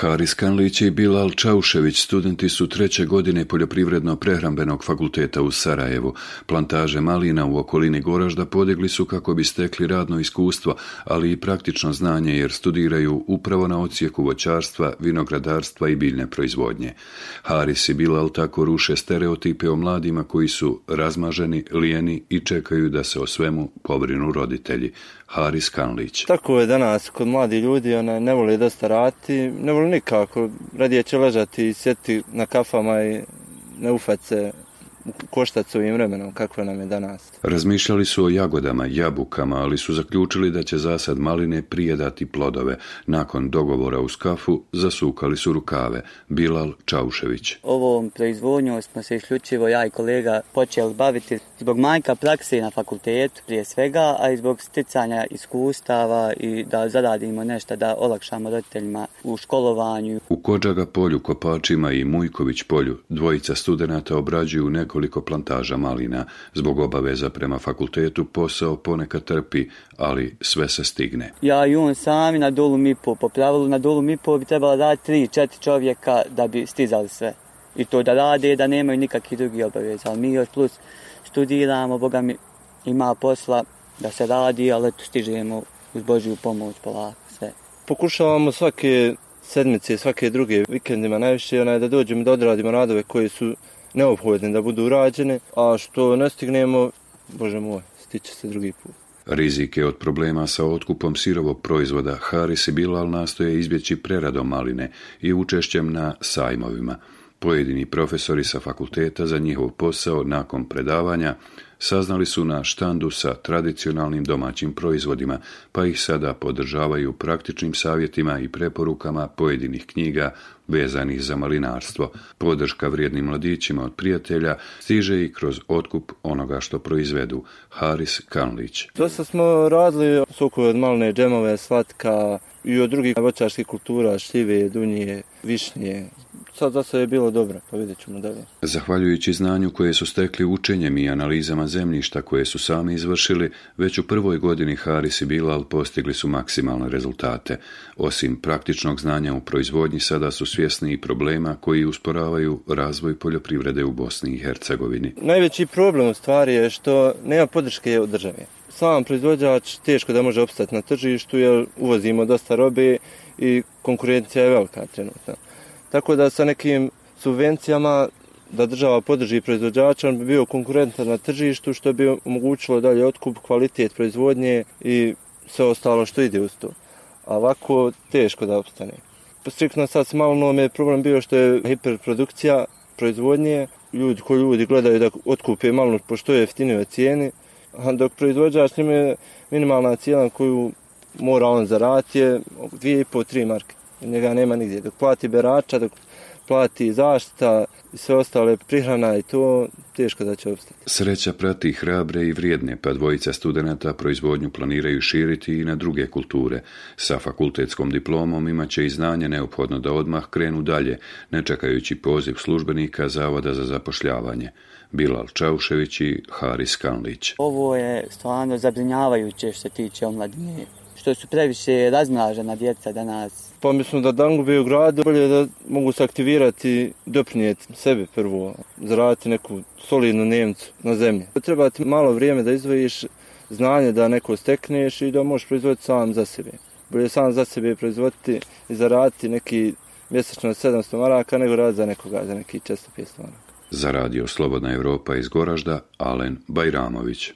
Haris Kanlić i Bilal Čaušević studenti su 3. godine Poljoprivredno-prehrambenog fakulteta u Sarajevu. Plantaže malina u okolini Goražda podigli su kako bi stekli radno iskustvo, ali i praktično znanje jer studiraju upravo na odsjeku voćarstva, vinogradarstva i biljne proizvodnje. Haris i Bilal tako ruše stereotipe o mladima koji su razmaženi, lijeni i čekaju da se o svemu pobrinu roditelji. Haris Kanlić. Tako je danas kod mladi ljudi, ne vole dosta raditi, ne vole nikako, radije će ležati i sjeti na kafama i ne ufati se koštati s ovim vremenom, kako nam je danas. Razmišljali su o jagodama, jabukama, ali su zaključili da će zasad maline prije dati plodove. Nakon dogovora uz kafu, zasukali su rukave. Bilal Čaušević. Ovom proizvodnjom smo se isključivo ja i kolega počeli baviti zbog manjka prakse na fakultetu prije svega, a i zbog sticanja iskustava i da zaradimo nešto da olakšamo roditeljima u školovanju. U Kodžaga polju, Kopačima i Mujković polju dvojica studenata obrađuju nekoliko plantaža malina. Zbog obaveza prema fakultetu posao ponekad trpi, ali sve se stigne. Ja i on sami na Dolu Mipo. Po pravilu na Dolu Mipo bi trebalo dati 3-4 čovjeka da bi stizali sve. I to da rade, da nemaju nikakvih drugih obaveza. Ali mi još plus studiramo, Boga mi ima posla da se radi, ali eto stižemo uz Božju pomoć polako sve. Pokušavamo svake sedmice, svake druge vikendima najviše da dođemo da odradimo radove koji su neophodne da budu urađene, a što ne stignemo, Bože moj, stiče se drugi put. Rizike od problema sa otkupom sirovog proizvoda Haris i Bilal nastoje izbjeći preradom maline i učešćem na sajmovima. Pojedini profesori sa fakulteta za njihov posao nakon predavanja saznali su na štandu sa tradicionalnim domaćim proizvodima, pa ih sada podržavaju praktičnim savjetima i preporukama pojedinih knjiga vezanih za malinarstvo. Podrška vrijednim mladićima od prijatelja stiže i kroz otkup onoga što proizvedu. Haris Kanlić. Dosta smo radili sokove od maline, džemove, slatka i od drugih voćarskih kultura, šljive, dunje, višnje. Sad za sve je bilo dobro, pa vidjet ćemo dalje. Zahvaljujući znanju koje su stekli učenjem i analizama zemljišta koje su sami izvršili, već u prvoj godini Haris i Bilal postigli su maksimalne rezultate. Osim praktičnog znanja u proizvodnji, sada su svjesni i problema koji usporavaju razvoj poljoprivrede u Bosni i Hercegovini. Najveći problem u stvari je što nema podrške od države. Sam proizvođač teško da može opstati na tržištu jer uvozimo dosta robe i konkurencija je velika trenutno. Tako da sa nekim subvencijama da država podrži proizvođača, on bi bio konkurentan na tržištu što bi omogućilo dalje otkup, kvalitet proizvodnje i sve ostalo što ide uz to. A ovako teško da opstane. Striktno sad s malinom je problem bio što je hiperprodukcija proizvodnje. Ljudi gledaju da otkupe malinu po što je jeftinijoj cijeni, a dok proizvođač njima je minimalna cijena koju mora on zaraditi je 2,5-3 marke. Njega nema nigdje. Dok plati berača, dok plati zaštita i sve ostale prihrana i to teško da će opstati. Sreća prati hrabre i vrijedne, pa dvojica studenata proizvodnju planiraju širiti i na druge kulture. Sa fakultetskom diplomom imaće i znanje neophodno da odmah krenu dalje, ne čekajući poziv službenika Zavoda za zapošljavanje. Bilal Čaušević i Haris Kanlić. Ovo je stvarno zabrinjavajuće što se tiče omladine, što su previše razmlažena djeca danas. Pa mislim da dangube u gradu bolje da mogu se aktivirati, doprinijeti sebi prvo, zaraditi neku solidnu Nemcu na zemlji. Treba ti malo vrijeme da izvojiš znanje da neko stekneš i da možeš proizvoditi sam za sebe. Bolje sam za sebe proizvoditi i zaraditi neki mjesečno 700 maraka nego raditi za nekoga, za neki 400-500 maraka. Za radio Slobodna Europa iz Goražda, Alen Bajramović.